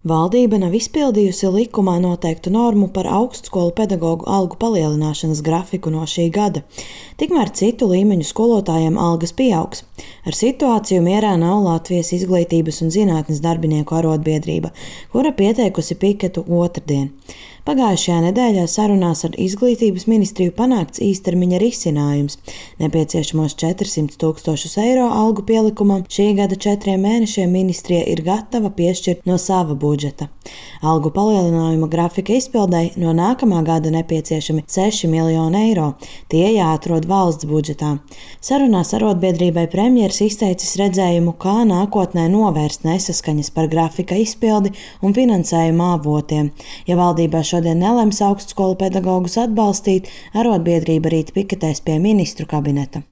Valdība nav izpildījusi likumā noteiktu normu par augstskolu pedagogu algu palielināšanas grafiku no šī gada. Tikmēr citu līmeņu skolotājiem algas pieaugs. Ar situāciju mierā nav Latvijas Izglītības un zinātnes darbinieku arotbiedrība, kura pieteikusi piketu otrdien. Pagājušajā nedēļā sarunās ar Izglītības ministriju panākts īstermiņa risinājums. Nepieciešamos 400 000 eiro algu pielikumam šī gada 4 mēnešiem ministrija ir gatava piešķirt no sava budžeta. Algu palielinājuma grafika izpildei no nākamā gada nepieciešami 6 miljoni eiro. Tie jāatrod valsts budžetā. Sarunās arotbiedrībai premjeras izteicis redzējumu, kā nākotnē novērst nesaskaņas par grafika izpildi un finansējuma avotiem. Ja valdībā šodien nelems augstskolu pedagogus atbalstīt, arotbiedrība rīt piketēs pie ministru kabineta.